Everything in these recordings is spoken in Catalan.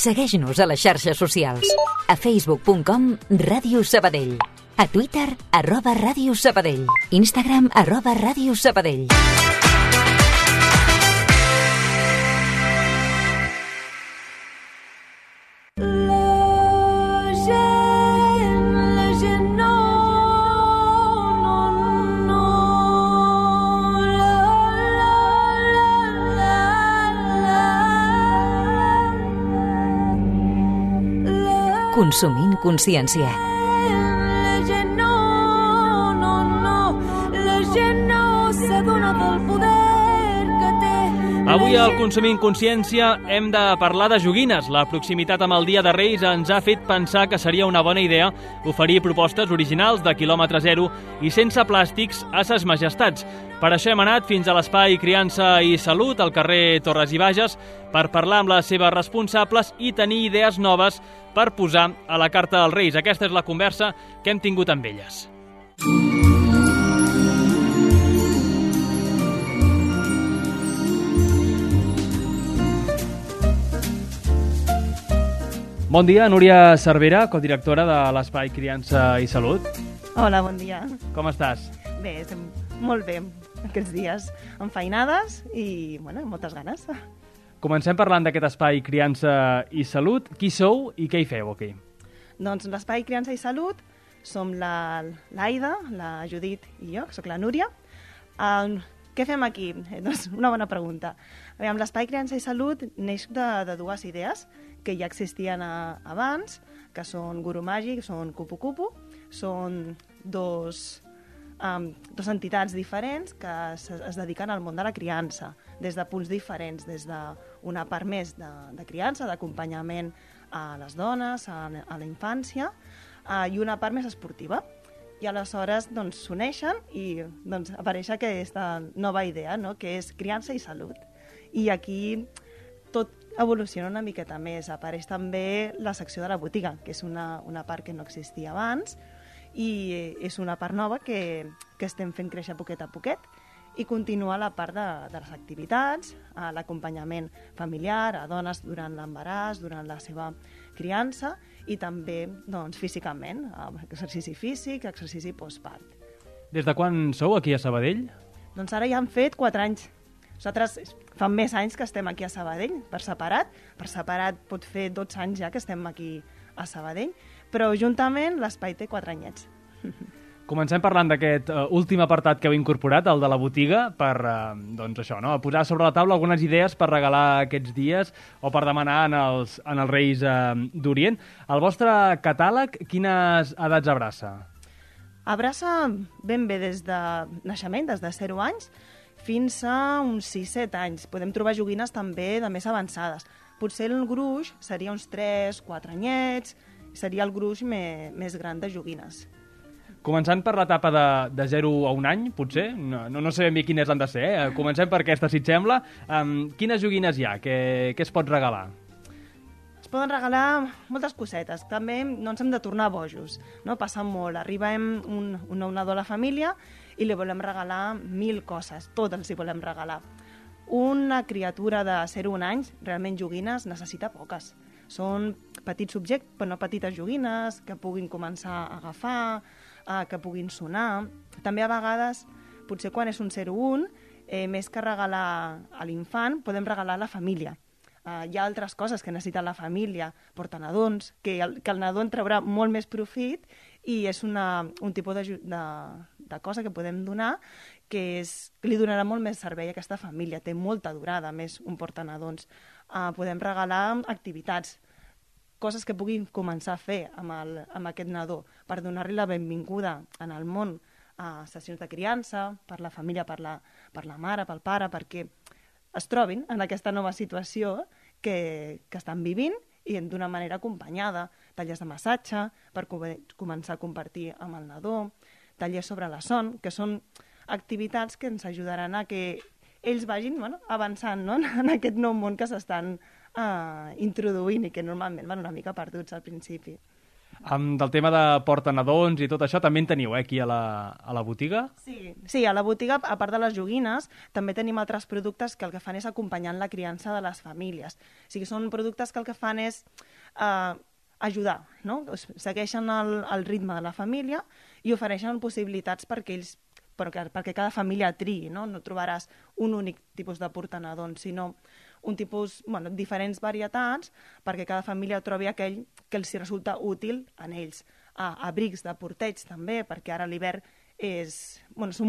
Segueix-nos a les xarxes socials. A facebook.com/Ràdio Sabadell. A Twitter, @Ràdio Sabadell. Instagram, @Ràdio Sabadell. Consumint consciència. La gent no s'adona del poder que té. Avui al Consumint Consciència hem de parlar de joguines. La proximitat amb el Dia de Reis ens ha fet pensar que seria una bona idea oferir propostes originals de quilòmetre zero i sense plàstics a ses majestats. Per això hem anat fins a l'Espai Criança i Salut, al carrer Torres i Bages, per parlar amb les seves responsables i tenir idees noves per posar a la carta dels Reis. Aquesta és la conversa que hem tingut amb elles. Bon dia, Núria Cervera, codirectora de l'Espai Criança i Salut. Hola, bon dia. Com estàs? Bé, estem molt bé aquests dies, enfeinades i, bueno, amb moltes ganes. Comencem parlant d'aquest Espai Criança i Salut. Qui sou i què hi feu aquí? Doncs l'Espai Criança i Salut som l'Aida, la Judit i jo, que sóc la Núria. Què fem aquí? Doncs una bona pregunta. L'Espai Criança i Salut neix de dues idees que ja existien abans, que són Guru Màgic, són Cupu Cupu, són dos entitats diferents que es dediquen al món de la criança, des de punts diferents, des d'una part més de criança, d'acompanyament a les dones, a la infància, i una part més esportiva. I aleshores s'uneixen i apareix aquesta nova idea, no?, que és criança i salut. I aquí tot evoluciona una miqueta més. Apareix també la secció de la botiga, que és una part que no existia abans, i és una part nova que estem fent créixer poquet a poquet, i continua la part de les activitats, l'acompanyament familiar a dones durant l'embaràs, durant la seva criança, i també físicament, exercici físic, exercici postpart. Des de quan sou aquí a Sabadell? Doncs ara ja han fet 4 anys. Nosaltres fa més anys que estem aquí a Sabadell, per separat. Per separat pot fer 12 anys ja que estem aquí a Sabadell, però juntament l'espai té 4 anyets. Comencem parlant d'aquest últim apartat que heu incorporat, el de la botiga, per posar sobre la taula algunes idees per regalar aquests dies o per demanar en els Reis d'Orient. El vostre catàleg, quines edats abraça? Abraça ben bé des de naixement, des de 0 anys, fins a uns 6-7 anys. Podem trobar joguines també de més avançades. Potser el gruix seria uns 3-4 anyets, seria el gruix més gran de joguines. Començant per l'etapa de 0 a 1 any, potser? No sé ben bé quines han de ser. Comencem per aquesta, si et sembla. Quines joguines hi ha? Què es pot regalar? Es poden regalar moltes cosetes. També no ens hem de tornar bojos, no? Passa molt. Arribem un nadó a la família i li volem regalar 1000 coses. Tot els hi volem regalar. Una criatura de 0 a 1 anys, realment joguines, necessita poques. Són petits objectes, però no petites joguines, que puguin començar a agafar, que puguin sonar. També a vegades, potser quan és un 0-1, més que regalar a l'infant, podem regalar a la família. Hi ha altres coses que necessita la família, portanadons, que el nadó en traurà molt més profit, i és un tipus de cosa que podem donar que li donarà molt més servei a aquesta família. Té molta durada, més un portanadons. Podem regalar activitats, coses que puguin començar a fer amb aquest nadó per donar-li la benvinguda en el món, a sessions de criança, per la família, per la mare, pel pare, perquè es trobin en aquesta nova situació que estan vivint i d'una manera acompanyada. Tallers de massatge per començar a compartir amb el nadó, tallers sobre la son, que són activitats que ens ajudaran a que ells vagin avançant, no?, en aquest nou món que s'estan introduint i que normalment van una mica perduts al principi. Del tema de portanadons i tot això, també en teniu, aquí a la botiga? Sí, a la botiga, a part de les joguines, també tenim altres productes que el que fan és acompanyar la criança de les famílies. O sigui, són productes que el que fan és ajudar, no? Segueixen el ritme de la família i ofereixen possibilitats perquè cada família triï, no? No trobaràs un únic tipus de portanadons, sinó un tipus, diferents varietats perquè cada família trobi aquell que els resulta útil en ells. Abrics de porteig també, perquè ara l'hivern és molt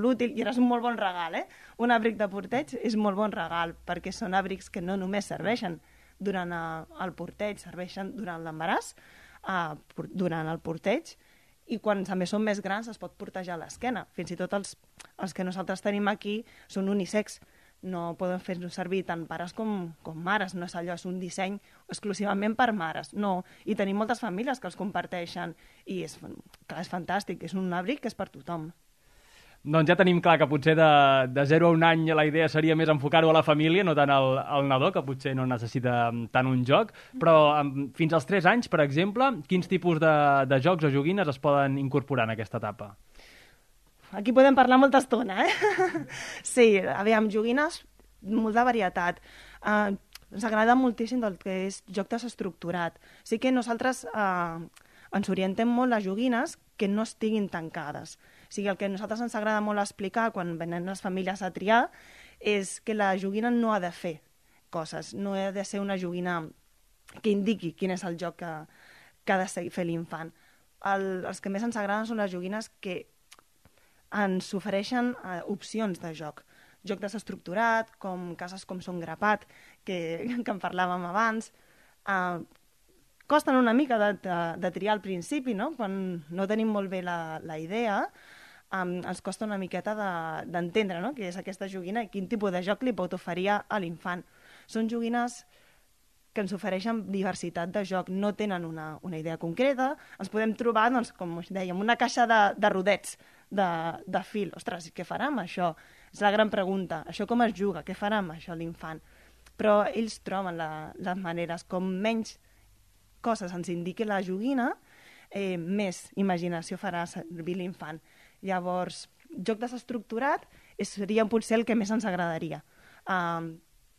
útil i ara és un molt bon regal, eh? Un abric de porteig és molt bon regal perquè són abrics que no només serveixen durant el porteig, serveixen durant l'embaràs, durant el porteig, i quan també són més grans es pot portejar a l'esquena. Fins i tot els que nosaltres tenim aquí són unisex. No poden fer-nos servir tant pares com mares. No és allò, és un disseny exclusivament per mares. No, i tenim moltes famílies que els comparteixen i és fantàstic. És un abric que és per tothom. Doncs ja tenim clar que potser de 0 a 1 any la idea seria més enfocar-ho a la família, no tant al nadó, que potser no necessita tant un joc, però fins als 3 anys, per exemple, quins tipus de jocs o joguines es poden incorporar en aquesta etapa? Aquí podem parlar molta estona, Sí, aviam, joguines, molta varietat. Ens agrada moltíssim el que és joc desestructurat. Sí que nosaltres ens orientem molt a joguines que no estiguin tancades. O sigui, el que a nosaltres ens agrada molt explicar quan venen les famílies a triar és que la joguina no ha de fer coses, no ha de ser una joguina que indiqui quin és el joc que ha de fer l'infant. Els que més ens agraden són les joguines que ens ofereixen opcions de joc. Joc desestructurat, com cases com Son Grapat, que en parlàvem abans. Costen una mica de triar al principi, no? Quan no tenim molt bé la idea, ens costa una miqueta d'entendre, no? Què és aquesta joguina i quin tipus de joc li pot oferir a l'infant. Són joguines que ens ofereixen diversitat de joc, no tenen una idea concreta. Ens podem trobar, doncs, com us dèiem, una caixa de rodets de fil. Ostres, què farà amb això? És la gran pregunta. Això com es juga? Què farà amb això l'infant? Però ells troben les maneres. Com menys coses ens indiqui la joguina, més imaginació farà servir l'infant. Llavors, joc desestructurat seria potser el que més ens agradaria.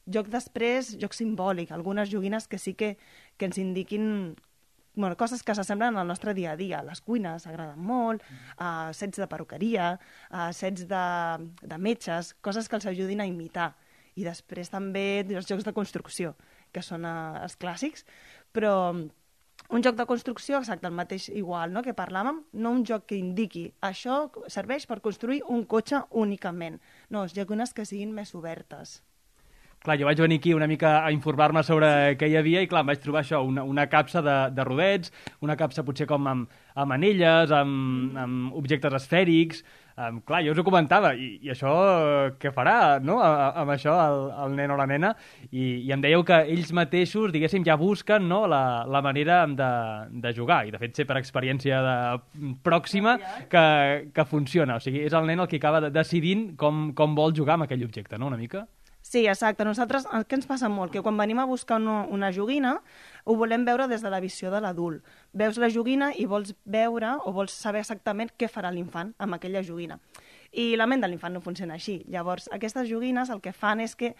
Joc després, joc simbòlic, algunes joguines que sí que ens indiquin coses que s'assemblen al nostre dia a dia. Les cuines agraden molt, sets de perruqueria, sets de metges, coses que els ajudin a imitar. I després també els jocs de construcció, que són els clàssics, però un joc de construcció, exacte, el mateix igual, no?, que parlàvem, no un joc que indiqui això serveix per construir un cotxe únicament. No, joguines que siguin més obertes. Clar, jo vaig venir aquí una mica a informar-me sobre què hi havia i, clar, em vaig trobar això, una capsa de rodets, una capsa potser com amb anelles, amb objectes esfèrics. Clar, jo us ho comentava, i això què farà, no?, amb això el nen o la nena, i em dèieu que ells mateixos, diguéssim, ja busquen, no?, la manera de jugar, i de fet sé per experiència pròxima que funciona. O sigui, és el nen el que acaba decidint com vol jugar amb aquell objecte, no?, una mica? Sí, exacte. Nosaltres, què ens passa molt? Que quan venim a buscar una joguina, ho volem veure des de la visió de l'adult. Veus la joguina i vols veure o vols saber exactament què farà l'infant amb aquella joguina. I la ment de l'infant no funciona així. Llavors, aquestes joguines el que fan és que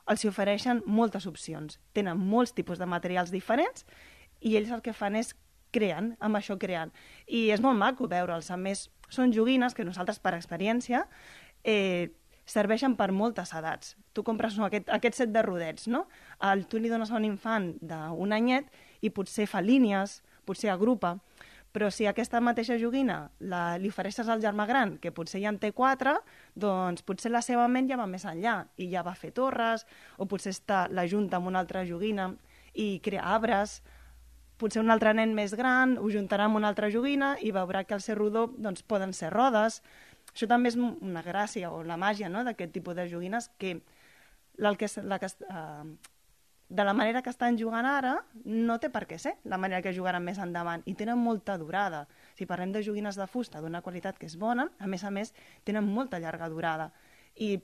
els ofereixen moltes opcions. Tenen molts tipus de materials diferents i ells el que fan és creen, amb això creen. I és molt maco veure'ls. A més, són joguines que nosaltres, per experiència, serveixen per moltes edats. Tu compres aquest set de rodets, no? Tu li dones a un infant d'un anyet i potser fa línies, potser agrupa, però si aquesta mateixa joguina li ofereixes al germà gran, que potser ja en té 4, doncs potser la seva ment ja va més enllà i ja va fer torres, o potser la junta amb una altra joguina i crea arbres. Potser un altre nen més gran ho juntarà amb una altra joguina i veurà que al ser rodó doncs, poden ser rodes. Això també és una gràcia o la màgia, no?, d'aquest tipus de joguines que de la manera que estan jugant ara no té per què ser la manera que jugaran més endavant i tenen molta durada. Si parlem de joguines de fusta d'una qualitat que és bona, a més, tenen molta llarga durada. I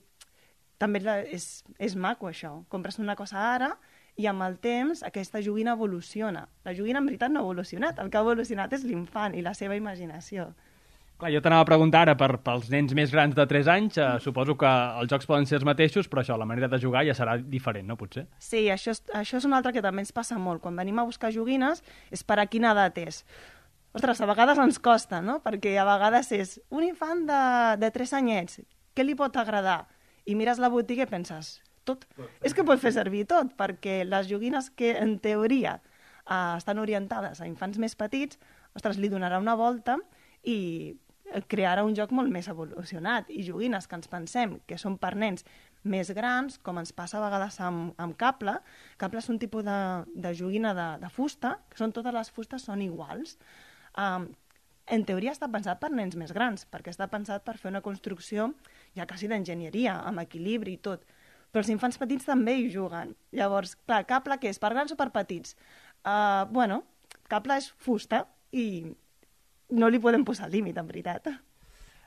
també és maco això. Compres una cosa ara I amb el temps aquesta joguina evoluciona. La joguina en veritat no ha evolucionat, el que ha evolucionat és l'infant i la seva imaginació. Clar, jo t'anava a preguntar ara pels nens més grans de 3 anys, suposo que els jocs poden ser els mateixos, però això, la manera de jugar ja serà diferent, no? Potser? Sí, això és una altra que també ens passa molt. Quan venim a buscar joguines és per a quina edat és. Ostres, a vegades ens costa, no? Perquè a vegades és un infant de 3 anyets, què li pot agradar? I mires la botiga i penses, tot. És que pot fer servir tot, perquè les joguines que en teoria estan orientades a infants més petits, ostres, li donarà una volta i crearà un joc molt més evolucionat. I joguines que ens pensem que són per nens més grans, com ens passa a vegades amb cable. Cable és un tipus de joguina de fusta, que totes les fustes són iguals. En teoria està pensat per nens més grans, perquè està pensat per fer una construcció ja quasi d'enginyeria, amb equilibri i tot. Però els infants petits també hi juguen. Llavors, clar, cable què és? Per grans o per petits? Bueno, cable és fusta i no li podem posar límit, en veritat.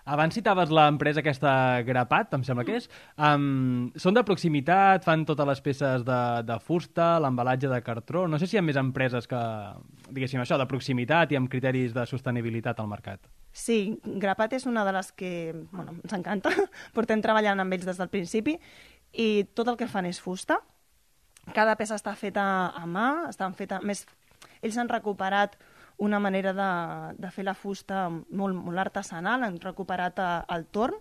Abans citaves l'empresa aquesta Grapat, em sembla que és. Són de proximitat, fan totes les peces de fusta, l'embalatge de cartró. No sé si hi ha més empreses que, diguéssim això, de proximitat i amb criteris de sostenibilitat al mercat. Sí, Grapat és una de les que ens encanta. Portem treballant amb ells des del principi i tot el que fan és fusta. Cada peça està feta a mà, ells han recuperat una manera de fer la fusta molt artesanal, han recuperat el torn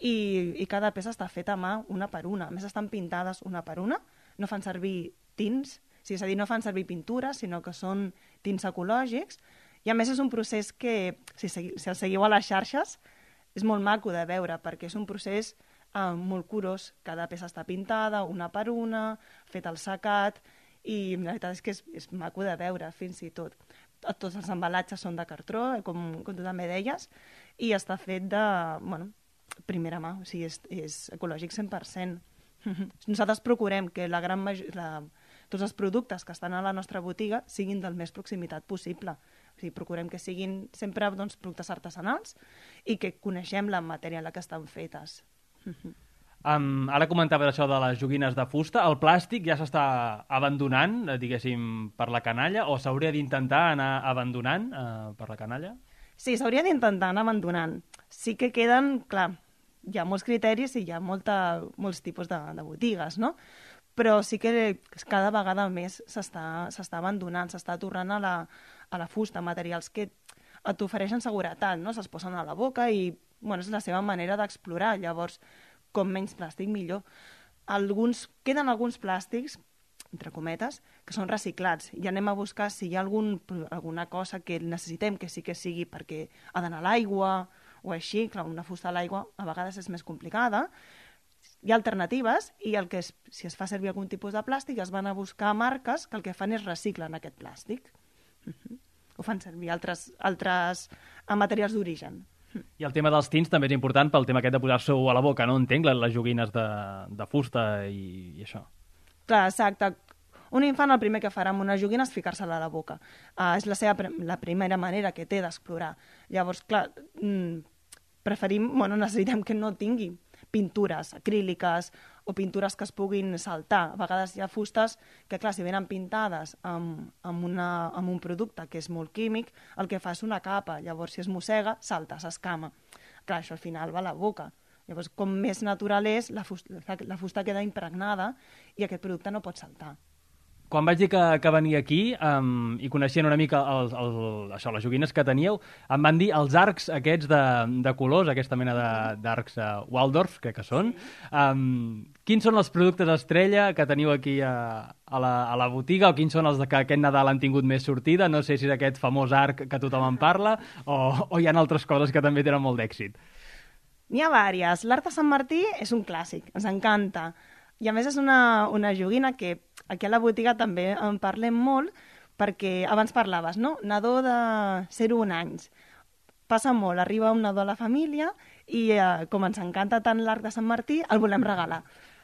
i cada peça està feta a mà una per una. A més, estan pintades una per una, no fan servir tints, és a dir, no fan servir pintures, sinó que són tints ecològics. I a més és un procés que, si el seguiu a les xarxes, és molt maco de veure, perquè és un procés molt curós. Cada peça està pintada una per una, fet el secat, i la veritat és que és maco de veure, fins i tot. Tots els embalatges són de cartró, com tu també deies, i està fet de primera mà, o sigui, és ecològic 100%. Nosaltres procurem que tots els productes que estan a la nostra botiga siguin del més proximitat possible. O sigui, procurem que siguin sempre productes artesanals i que coneixem la matèria en la que estan fetes. Ara comentaves això de les joguines de fusta. El plàstic ja s'està abandonant, diguéssim, per la canalla, o s'hauria d'intentar anar abandonant per la canalla? Sí, s'hauria d'intentar anar abandonant. Sí que queden, clar, hi ha molts criteris i hi ha molts tipus de botigues, no? Però sí que cada vegada més s'està abandonant, s'està tornant a la fusta, materials que t'ofereixen seguretat, no? Se'ls posen a la boca i és la seva manera d'explorar. Llavors, com menys plàstic, millor. Queden alguns plàstics, entre cometes, que són reciclats. I anem a buscar si hi ha alguna cosa que necessitem que sí que sigui perquè ha d'anar a l'aigua o així. Clar, una fusta a l'aigua a vegades és més complicada. Hi ha alternatives i si es fa servir algun tipus de plàstic es van a buscar marques que el que fan és reciclen aquest plàstic. Ho fan servir altres materials d'origen. I el tema dels tints també és important pel tema aquest de posar-s'ho a la boca, no? Entenc, les joguines de fusta i això. Clar, exacte. Un infant el primer que farà amb una joguina és ficar-se-la a la boca. És la primera manera que té d'explorar. Llavors, clar, necessitem que no tingui pintures acríliques o pintures que es puguin saltar. A vegades hi ha fustes que, clar, si venen pintades amb un producte que és molt químic, el que fa és una capa. Llavors, si es mossega, salta, s'escama. Clar, això al final va a la boca. Llavors, com més natural és, la fusta queda impregnada i aquest producte no pot saltar. Quan vaig dir que venia aquí i coneixien una mica les joguines que teníeu, em van dir els arcs aquests de colors, aquesta mena d'arcs Waldorf, crec que són. Quins són els productes estrella que teniu aquí a la botiga o quins són els que aquest Nadal han tingut més sortida? No sé si és aquest famós arc que tothom en parla o hi ha altres coses que també tenen molt d'èxit. N'hi ha diverses. L'art de Sant Martí és un clàssic, ens encanta. I a més és una joguina que aquí a la botiga també en parlem molt perquè abans parlaves, no? Nadó de 0-1 anys. Passa molt, arriba un nadó a la família i com ens encanta tant l'arc de Sant Martí, el volem regalar.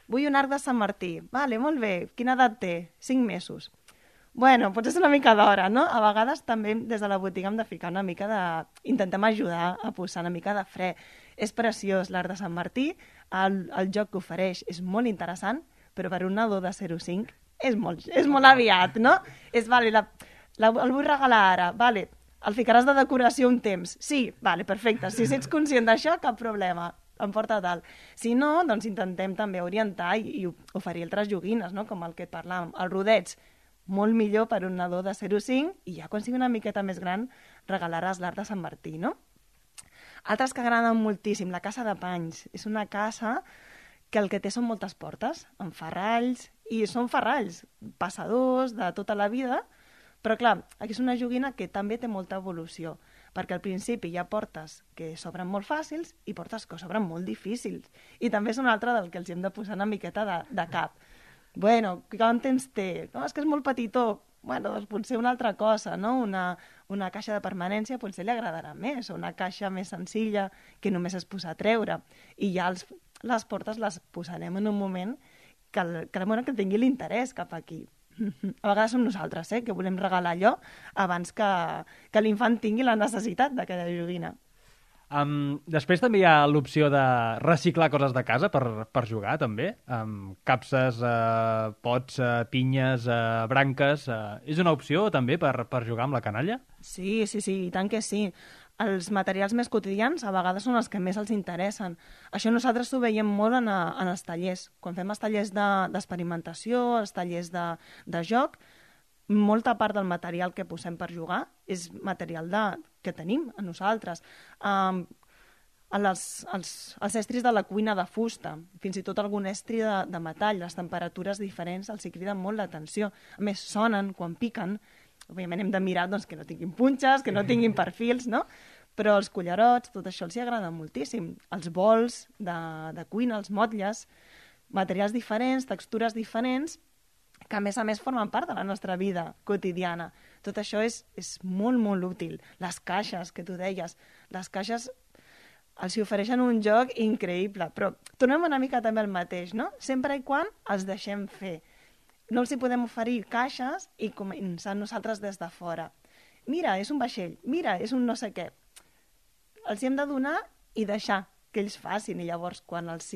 Vull un arc de Sant Martí. Vale, molt bé. Quina edat té? 5 mesos. Bueno, potser és una mica d'hora, no? A vegades també des de la botiga hem de ficar una mica intentem ajudar a posar una mica de fre. És preciós l'art de Sant Martí, el joc que ofereix és molt interessant, però per un nadó de 0-5 és molt aviat, no? Vale, el vull regalar ara, vale, el ficaràs de decoració un temps. Sí, vale, perfecte. Si ets conscient d'això, cap problema. Em porta tal. Si no, doncs intentem també orientar i oferir altres joguines, no? Com el que et parlàvem. El rodets, molt millor per un nadó de 0,5 i ja quan sigui una miqueta més gran regalaràs l'art de Sant Martí, no? Altres que agraden moltíssim, la Casa de Panys. És una casa que el que té són moltes portes, amb ferralls, i són ferralls passadors de tota la vida, però clar, aquí és una joguina que també té molta evolució, perquè al principi hi ha portes que s'obren molt fàcils i portes que s'obren molt difícils. I també és una altra del que els hem de posar una miqueta de cap. Bueno, quant temps té? No, és que és molt petitó. Bueno, doncs potser una altra cosa, no? Una caixa de permanència potser li agradarà més, o una caixa més senzilla que només es posa a treure. I ja les portes les posarem en un moment que tingui l'interès cap aquí. A vegades som nosaltres, que volem regalar allò abans que l'infant tingui la necessitat d'aquella joguina. Després també hi ha l'opció de reciclar coses de casa per jugar, també. Capses, pots, pinyes, branques... És una opció també per jugar amb la canalla? Sí, i tant que sí. Els materials més quotidians a vegades són els que més els interessen. Això nosaltres ho veiem molt en els tallers. Quan fem els tallers d'experimentació, els tallers de joc, molta part del material que posem per jugar és material que tenim a nosaltres. Els estris de la cuina de fusta, fins i tot algun estri de metall, les temperatures diferents els hi criden molt l'atenció. A més, sonen quan piquen. Òbviament hem de mirar que no tinguin punxes, que no tinguin perfils, no? Però els cullerots, tot això els hi agrada moltíssim. Els bols de cuina, els motlles, materials diferents, textures diferents, que a més formen part de la nostra vida quotidiana. Tot això és molt, molt útil. Les caixes, que tu deies, les caixes els hi ofereixen un joc increïble, però tornem una mica també al mateix, no? Sempre i quan els deixem fer. No els hi podem oferir caixes i començar nosaltres des de fora. Mira, és un vaixell, mira, és un no sé què. Els hi hem de donar i deixar que ells facin, i llavors quan els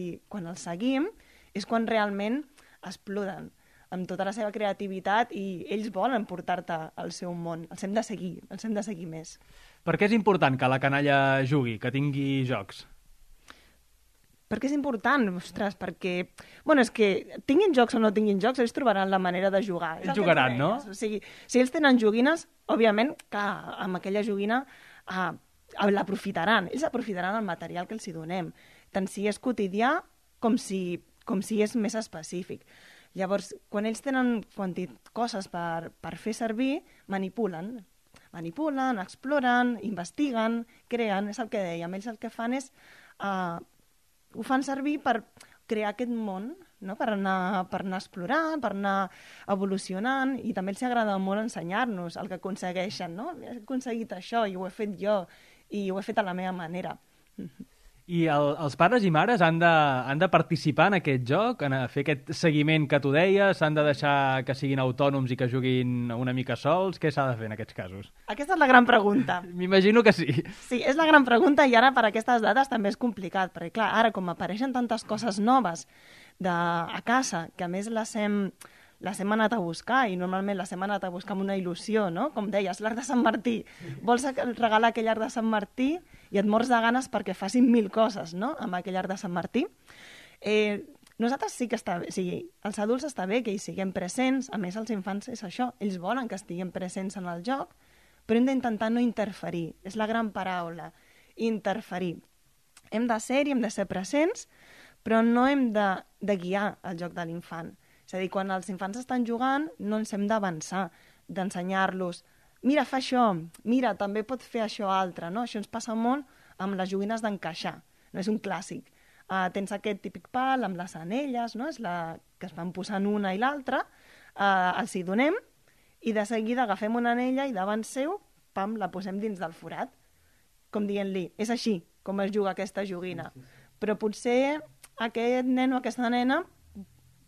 seguim és quan realment exploten amb tota la seva creativitat i ells volen portar-te al seu món. Els hem de seguir més. Per què és important que la canalla jugui, que tingui jocs? Per què és important? Ostres, perquè... Bueno, és que tinguin jocs o no tinguin jocs, ells trobaran la manera de jugar. Ells jugaran, no? O sigui, si ells tenen joguines, òbviament que amb aquella joguina l'aprofitaran. Ells aprofitaran el material que els hi donem, tant si és quotidià com si és més específic. Llavors, quan ells tenen coses per fer servir, manipulen, exploren, investiguen, creen, és el que dèiem. Ells el que fan és... ho fan servir per crear aquest món, no? per anar explorant, per anar evolucionant, i també els agrada molt ensenyar-nos el que aconsegueixen. No? He aconseguit això i ho he fet jo, i ho he fet a la meva manera. I els pares i mares han de participar en aquest joc, en fer aquest seguiment que tu deies, s'han de deixar que siguin autònoms i que juguin una mica sols? Què s'ha de fer en aquests casos? Aquesta és la gran pregunta. M'imagino que sí. Sí, és la gran pregunta, i ara per aquestes dates també és complicat, perquè clar, ara com apareixen tantes coses noves a casa, que a més les hem anat a buscar, i normalment les hem anat a buscar amb una il·lusió, no? Com deies, l'art de Sant Martí. Vols regalar aquell art de Sant Martí i et mors de ganes perquè facin 1000 coses, no?, amb aquell art de Sant Martí. Nosaltres sí que està bé, o sigui, els adults està bé que hi siguem presents, a més els infants és això, ells volen que estiguem presents en el joc, però hem d'intentar no interferir, és la gran paraula, interferir. Hem de ser-hi, hem de ser presents, però no hem de guiar el joc de l'infant. És a dir, quan els infants estan jugant, no ens hem d'avançar, d'ensenyar-los, mira, fa això, mira, també pot fer això altre, no? Això ens passa molt amb les joguines d'encaixar, no és un clàssic. Tens aquest típic pal amb les anelles, no? És que es van posant una i l'altra, els hi donem, i de seguida agafem una anella i davant seu, pam, la posem dins del forat, com dient-li, és així com es juga aquesta joguina. Però potser aquest nen o aquesta nena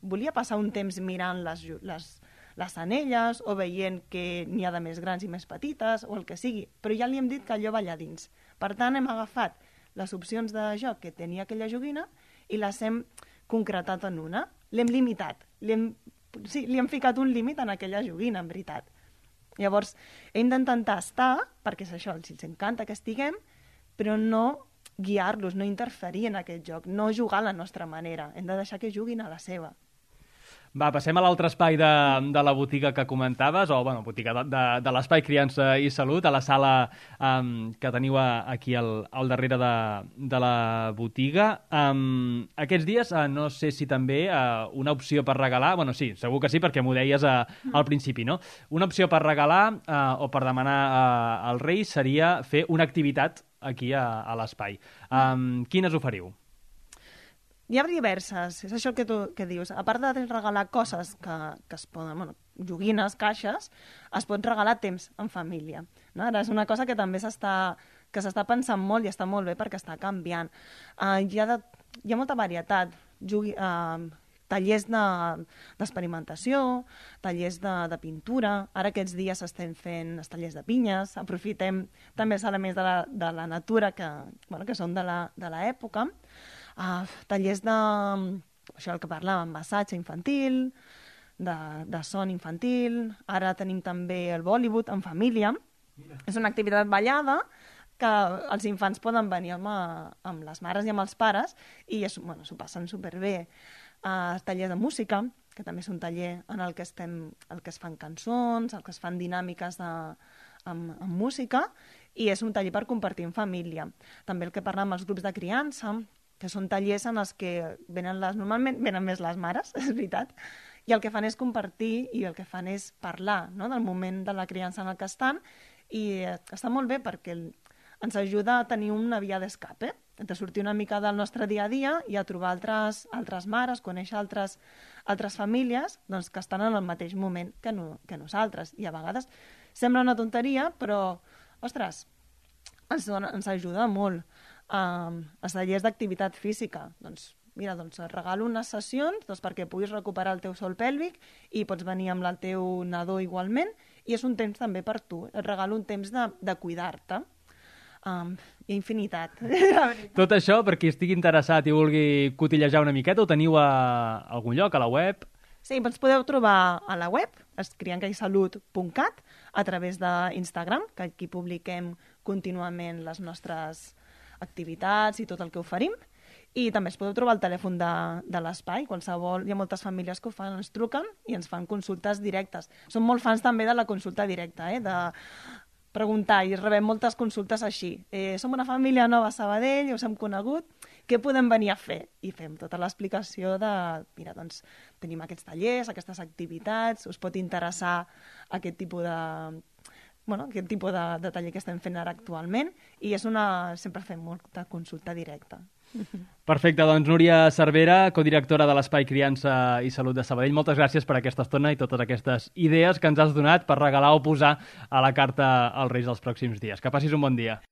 volia passar un temps mirant les anelles o veient que n'hi ha de més grans i més petites o el que sigui, però ja li hem dit que allò va allà dins. Per tant, hem agafat les opcions de joc que tenia aquella joguina i les hem concretat en una. L'hem limitat, l'hem sí, li hem ficat un límit en aquella joguina, en veritat. Llavors, hem d'intentar estar, perquè és això, els encanta que estiguem, però no guiar-los, no interferir en aquest joc, no jugar a la nostra manera. Hem de deixar que juguin a la seva. Va, passem a l'altre espai de la botiga que comentaves, o, bueno, botiga de l'Espai Criança i Salut, a la sala que teniu aquí al darrere de la botiga. Aquests dies, no sé si també una opció per regalar, bueno, sí, segur que sí, perquè m'ho deies al principi, no? Una opció per regalar o per demanar als Reis seria fer una activitat aquí a l'espai. Quines oferiu? Hi ha diverses, és això que dius. A part de regalar coses que es poden, bueno, joguines, caixes, es pot regalar temps en família. No? Ara és una cosa que també s'està pensant molt i està molt bé perquè està canviant. Hi ha molta varietat. Tallers d'experimentació, tallers de pintura. Ara aquests dies estem fent els tallers de pinyes, aprofitem també els elements de la natura que són de l'època. Tallers això el que parlàvem, massatge infantil, de son infantil. Ara tenim també el Bollywood en família. Mira. És una activitat ballada que els infants poden venir amb les mares i amb els pares i s'ho passen superbé. Tallers de música, que també és un taller en el que es fan cançons, el que es fan dinàmiques amb música, i és un taller per compartir en família. També el que parlàvem amb els grups de criança, que són tallers en els que normalment venen més les mares, és veritat, i el que fan és compartir i el que fan és parlar, no?, del moment de la criança en el que estan, i està molt bé perquè ens ajuda a tenir una via d'escape, de sortir una mica del nostre dia a dia i a trobar altres mares, conèixer altres famílies doncs, que estan en el mateix moment que nosaltres. I a vegades sembla una tonteria, però, ostres, ens ajuda molt. Els tallers d'activitat física, doncs et regalo unes sessions perquè puguis recuperar el teu sòl pèlvic i pots venir amb el teu nadó igualment, i és un temps també per tu, et regalo un temps de cuidar-te. Hi ha infinitat. Tot això, per qui estigui interessat i vulgui cotillejar una miqueta, ho teniu a algun lloc, a la web? Sí, ens podeu trobar a la web, criancaisalut.cat, a través d'Instagram, que aquí publiquem contínuament les nostres activitats i tot el que oferim, i també es podeu trobar al telèfon de l'espai, qualsevol, hi ha moltes famílies que ho fan, ens truquen i ens fan consultes directes. Som molt fans també de la consulta directa, de preguntar, i rebem moltes consultes així. Som una família nova a Sabadell, us hem conegut, què podem venir a fer? I fem tota l'explicació de, mira, doncs tenim aquests tallers, aquestes activitats, us pot interessar aquest tipus de taller que estem fent ara actualment, i sempre fem molta consulta directa. Perfecte, doncs Núria Cervera, codirectora de l'Espai Criança i Salut de Sabadell, moltes gràcies per aquesta estona i totes aquestes idees que ens has donat per regalar o posar a la carta als Reis dels pròxims dies. Que passis un bon dia.